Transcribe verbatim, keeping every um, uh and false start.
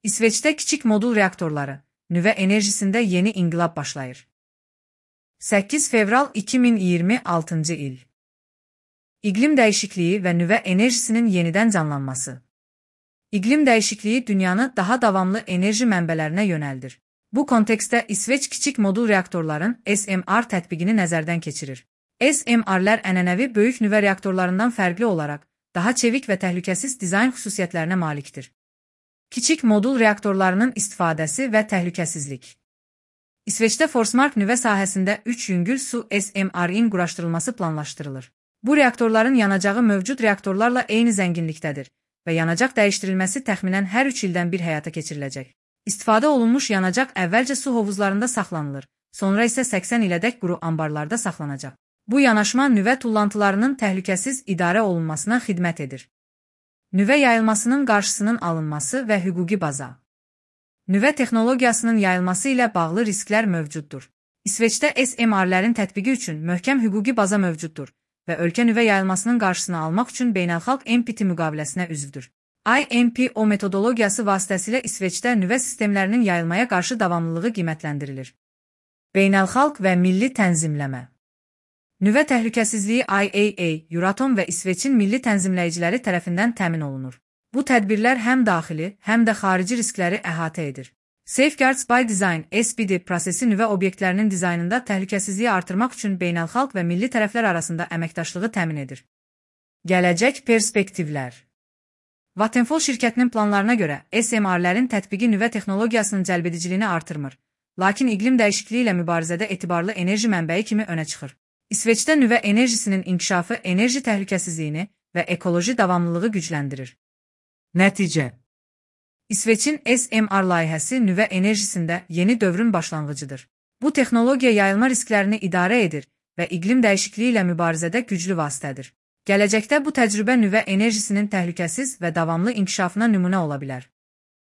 İsveç'te kiçik modul reaktorları, nüvə enerjisində yeni inqilab başlayır. səkkiz fevral iki min iyirmi altıncı il. İqlim dəyişikliyi və nüvə enerjisinin yenidən canlanması. İqlim dəyişikliyi dünyanı daha davamlı enerji mənbələrinə yönəldir. Bu kontekstdə İsveç kiçik modul reaktorların S M R tətbiqini nəzərdən keçirir. S M R'lər ənənəvi böyük nüvə reaktorlarından fərqli olaraq daha çevik və təhlükəsiz dizayn xüsusiyyətlərinə malikdir. Kiçik modul reaktorlarının istifadəsi və təhlükəsizlik. İsveçdə Forsmark nüvə sahəsində üç yüngül su S M R-in quraşdırılması planlaşdırılır. Bu reaktorların yanacağı mövcud reaktorlarla eyni zənginlikdədir və yanacaq dəyişdirilməsi təxminən hər üç ildən bir həyata keçiriləcək. İstifadə olunmuş yanacaq əvvəlcə su hovuzlarında saxlanılır, sonra isə səksən ilədək quru ambarlarda saxlanacaq. Bu yanaşma nüvə tullantılarının təhlükəsiz idarə olunmasına xidmət edir. Nüvə yayılmasının qarşısının alınması və hüquqi baza. Nüvə texnologiyasının yayılması ilə bağlı risklər mövcuddur. İsveçdə S M R-lərin tətbiqi üçün möhkəm hüquqi baza mövcuddur və ölkə nüvə yayılmasının qarşısını almaq üçün beynəlxalq N P T müqaviləsinə üzvdür. I N P O metodologiyası vasitəsilə İsveçdə nüvə sistemlərinin yayılmaya qarşı davamlılığı qiymətləndirilir. Beynəlxalq və milli tənzimləmə. Nüvə təhlükəsizliyi I A A, Euratom və İsveçin milli tənzimləyiciləri tərəfindən təmin olunur. Bu tədbirlər həm daxili, həm də xarici riskləri əhatə edir. Safeguards by Design S B D prosesi nüvə obyektlərinin dizaynında təhlükəsizliyi artırmaq üçün beynəlxalq və milli tərəflər arasında əməkdaşlığı təmin edir. Gələcək perspektivlər. Vattenfall şirkətinin planlarına görə S M R-lərin tətbiqi nüvə texnologiyasının cəlbediciliyini artırmır, lakin iqlim dəyişikliyi ilə mübarizədə etibarlı enerji mənbəyi kimi önə çıxır. İsveçdə nüvə enerjisinin inkişafı enerji təhlükəsizliyini və ekoloji davamlılığı gücləndirir. Nəticə. İsveçin S M R layihəsi nüvə enerjisində yeni dövrün başlanğıcıdır. Bu texnologiya yayılma risklərini idarə edir və iqlim dəyişikliyi ilə mübarizədə güclü vasitədir. Gələcəkdə bu təcrübə nüvə enerjisinin təhlükəsiz və davamlı inkişafına nümunə ola bilər.